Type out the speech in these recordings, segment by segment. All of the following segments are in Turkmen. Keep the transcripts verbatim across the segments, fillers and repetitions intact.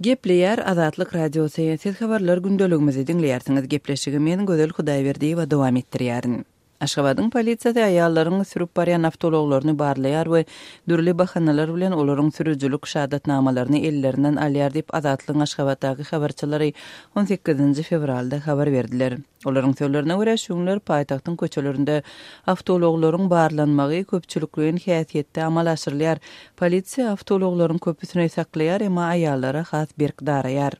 Gepleýär Azatlyk Radiosy. Siz habarlar gündeligimizi diňleýärsiňiz. Gepleşigi men Gözel Hudaýberdiýewa dowam etdirýärin. Aşgabadyň polisiýasy aýallaryň sürüp barýan awtoulaglaryny barlaýar we dürli bahanalar bilen olaryň sürüjilik şahadatnamalaryny ellerinden alýar diýip, Azatlygyň Aşgabatdaky habarçylary on sekizinji fewralda habar berdiler. Olaryň sözlerine görä, şu günler paýtagtyň köçelerinde awtoulaglaryň barlanmagy köpçülikleýin häsiýetde amala aşyrylýar. Polisiýa awtoulaglaryň köpüsini saklaýar, emma aýallara has berk daraýar.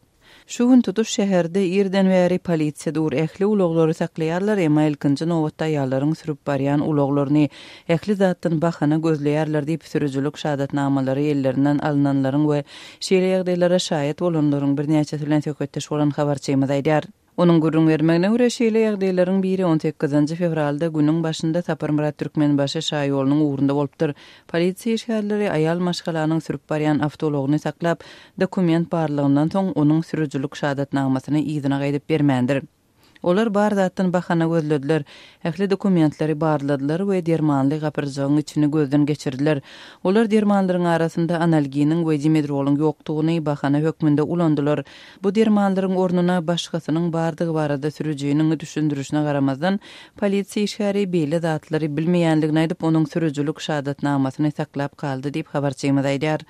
Şu gün tutuş şäherde irden bäri polisiýa dur, ähli ulaglary saklaýarlar, emma ilkinji nobatda aýallaryň sürüp barýan ulaglaryny ähli zatdan bahana gözleýärler diýip, sürüjilik şahadatnamalary ellerinden alynanlaryň we şeýle ýagdaýlara şaýat bolanlaryň birnäçesi bilen söhbetdeş bolan habarçymyz aýdýar. Onuň gürrüň bermegine görä, şeýle ýagdaýlaryň biri on sekizinji fewralda günüň başynda Saparmyrat Türkmenbaşy şaýolunyň ugrunda bolupdyr. Polisiýa işgärleri aýal maşgalanyň sürüp barýan awtoulagyny saklap, dokument barlagyndan soň onuň sürüjilik şahadatnamasyny yzyna gaýdyp bermändir. Olar bar zatdan bahana gözlediler, ähli dokumentleri barladylar we dermanly gapyrjagyň içini gözden geçirdiler. Olar dermanlaryň arasynda analginiň we dimedrolyň ýokdugyny bahana hökmünde ulandylar. Bu dermanlaryň ornuna başgasynyň bardygy barada sürüjiniň düşündirişine garamazdan, polisiýa işgäri beýle zatlary bilmeýänligini aýdyp, onuň sürüjilik şahadatnamasyny saklap galdy diýip, habarçymyz aýdýar.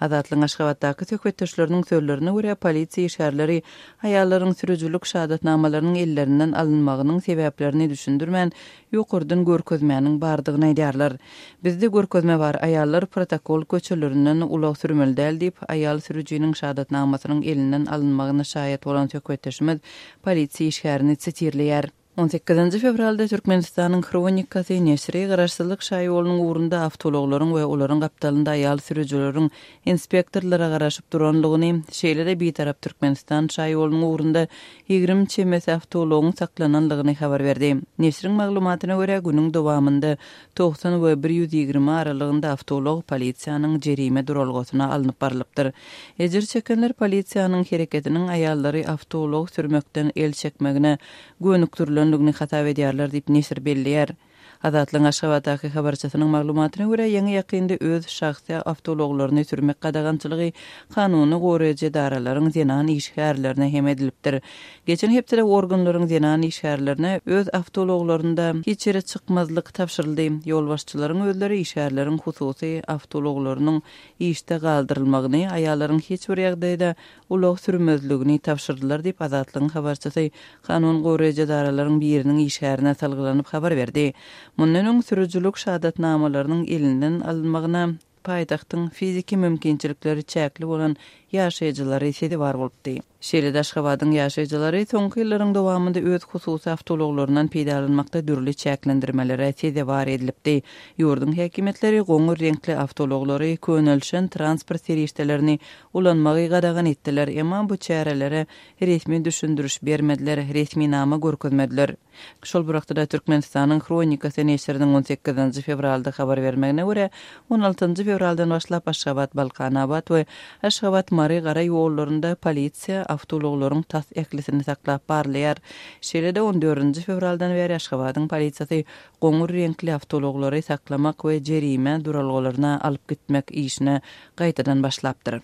Azatlygyň Aşgabatdaky söhbetdeşleriniň sözlerine görä, polisiýa işgärleri aýallaryň sürüjilik şahadatnamalarynyň ellerinden alynmagynyň sebäplerini düşündirmän, ýokardan görkezmäniň bardygyny aýdýarlar. Bizde görkezme bar, aýallar protokol köçelerinden ulag sürmeli däl diýip, aýal sürüjiniň şahadatnamasynyň elinden alynmagyna şaýat bolan söhbetdeşimiz polisiýa işgärini sitirleýär. On sekizinji fewralda Türkmenistanyň Hronikasy neşiri Garaşsyzlyk şaýolunyň ugrunda awtoulaglaryň we olaryň gapdalynda aýal sürüjileriň inspektorlara garaşyp duranlygyny, şeýle-de Bitarap Türkmenistan şaýolunyň ugrunda ýigrimi çemesi awtoulagyň saklananlygyny habar berdi. Neşiriň maglumatyna görä, günüň dowamynda togsan we bir ýüz ýigrimi aralygynda awtoulag polisiýanyň jerime duralgasyna alnyp barylypdyr. Ejir çekenler polisiýanyň hereketiniň aýallary awtoulag sürmekden el çekmegine gönükdirilenligini hasap edýärler diýip neşir belleýär. Azatlygyň Aşgabatdaky habarçysynyň maglumatyna görä, ýaňy ýakynda öz şahsy awtoulaglaryny sürmek gadagançylygy kanuny goraýjy edaralaryň zenan işgärlerine hem edilipdir. Geçen hepdede organlaryň zenan işgärlerine öz awtoulaglarynda hiç ýere çykmazlyk tabşyryldy. Ýolbaşçylaryň özleri işgärleriň hususy awtoulaglarynyň işde galdyrylmagyny, aýallaryň hiç bir ýagdaýda ulag sürmezligini tabşyrdylar diýip Azatlygyň habarçysy kanun goraýjy edaralaryň biriniň işgärine salgylanyp habar berdi. Mundan öň sürüjilik şahadatnamalarynyň elinden alynmagyna paýtagtyň fiziki mümkinçilikleri çäkli bolan ýaşaýjylary sezewar bolupdy. Şeýle-de Aşgabadyň ýaşaýjylary soňky ýyllaryň dowamynda öz hususy awtoulaglaryndan peýdalanmakda dürli çäklendirmelere sezewar edilipdi. Ýurduň häkimiýetleri goňur reňkli awtoulaglary, könelşen transport serişdelerini ulanmagy gadagan etdiler, emma bu çärelere resmi düşündiriş bermediler, resminama görkezmediler. Şol bir wagtda Türkmenistanyň Hronikasy neşiriniň on sekizinji fewralda habar bermegine görä, on altynjy fewraldan başlap Aşgabat, Balkanabat we Aşgabat, Mary gara ýollarynda polisiýa awtoulaglaryň tas ählisini saklap barlaýar. Şeýle-de on dördünji fewraldan bäri Aşgabadyň polisiýasy goňur reňkli awtoulaglary saklamak we jerime duralgalaryna alyp gitmek işine gaýtadan başlapdyr.